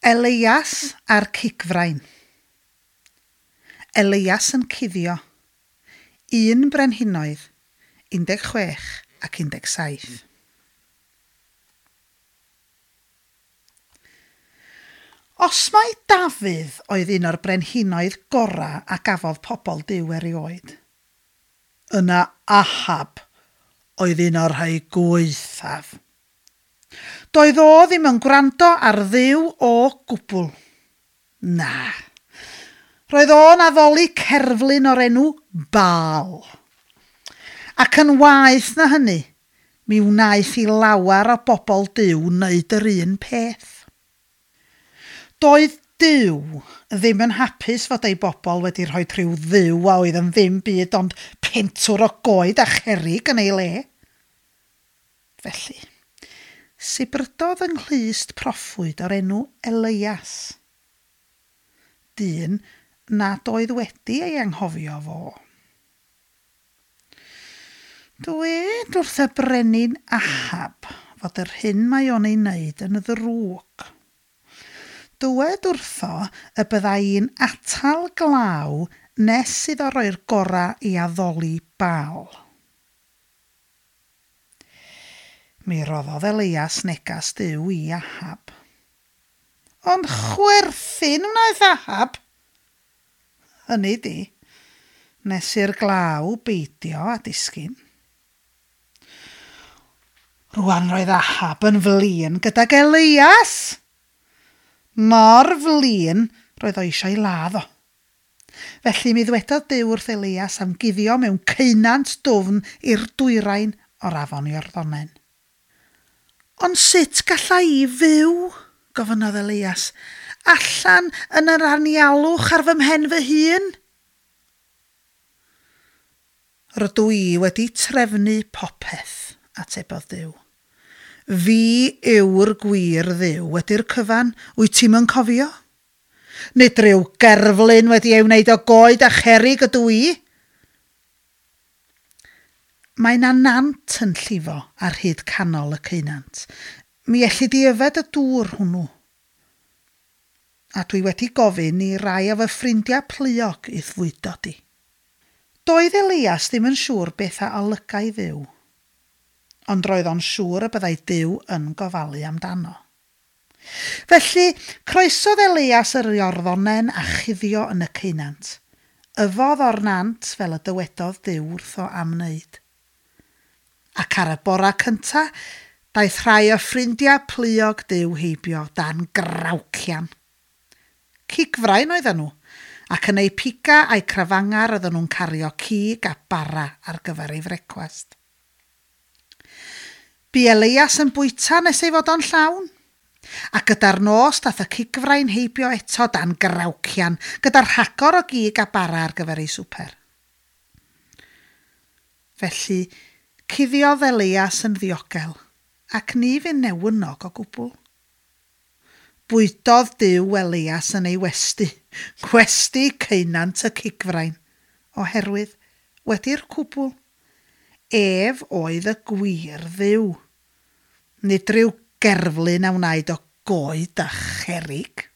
Elias a'r cigfrain. Elias yn cuddio. 1 Brenhinoedd, 16 ac 17. Os mai Dafydd oedd un o'r brenhinoedd gorau a gafodd pobl Duw erioed, yna Ahab oedd un o'r rhai gwaethaf. Doedd o ddim yn gwrando ar Dduw o gwbl. Na. Roedd o'n addoli cerflun o'r enw Baal. Ac yn waeth na hynny, mi wnaeth i lawer o bobl Duw wneud yr un peth. Doedd Duw ddim yn hapus fod ei bobl wedi rhoi rhyw dduw a oedd yn ddim byd ond pentwr o goed a cherrig yn ei le. Felly, sibrydodd yng nghlust proffwyd o'r enw Elias, dyn nad oedd wedi ei anghofio fo. Dwed wrth y brenin Ahab fod yr hyn mae o'n ei wneud yn ddrwg. Dywed wrtho y bydda i'n atal glaw nes iddo roi'r gorau i addoli Baal. Mi roddodd Elias negas Duw i Ahab. Ond chwerthin wnaeth Ahab. Hynny di, nes i'r glaw beidio â disgyn. Rwan roedd Ahab yn flin gydag Elias. Mor flin roedd o eisiau ei ladd o. Felly mi ddwedodd Duw wrth Elias am guddio mewn ceunant dwfn i'r dwyrain o'r afon Iorddonen. Ond sut galla i fyw, gofynnodd Elias, allan yn yr anialwch ar fy mhen fy hun? Rydw i wedi trefnu popeth, atebodd Duw. Fi yw'r gwir Dduw, wedi'r cyfan, wyt ti'm yn cofio? Nid rhyw gerflun wedi ei wneud o goed a cherrig ydw i. Mae 'na nant yn llifo ar hyd canol y ceunant. Mi elli di yfed y dŵr hwnnw. A dwi wedi gofyn i rai o fy ffrindiau pluog i'th fwydo di. Doedd Elias ddim yn siŵr beth a olygai Dduw, ond roedd o'n siŵr y byddai Duw yn gofalu amdano. Felly, croesodd Elias yr Iorddonen a chuddio yn y ceunant. Yfodd o'r nant fel y dywedodd Duw wrtho am wneud. Ac ar y bora cynta, daeth rhai o ffrindiau pluog Duw heibio dan grawcian. Cigfrain oedden nhw, ac yn eu piga a'u crafangau roedden nhw'n cario cig a bara ar gyfer ei frecwast. Bu Elias yn bwyta nes ei fod o'n llawn. A gyda'r nos daeth y cigfrain heibio eto dan grawcian, gyda rhagor o gig a bara ar gyfer ei swper. Felly, cuddiodd Elias yn ddiogel, ac ni fu'n newynog o gwbl. Bwydodd Duw Elias yn ei westy, gwesty ceunant y cigfrain, oherwydd, wedi'r cwbl, ef oedd y gwir Dduw. Nid rhyw gerflun a wnaed o goed a cherrig.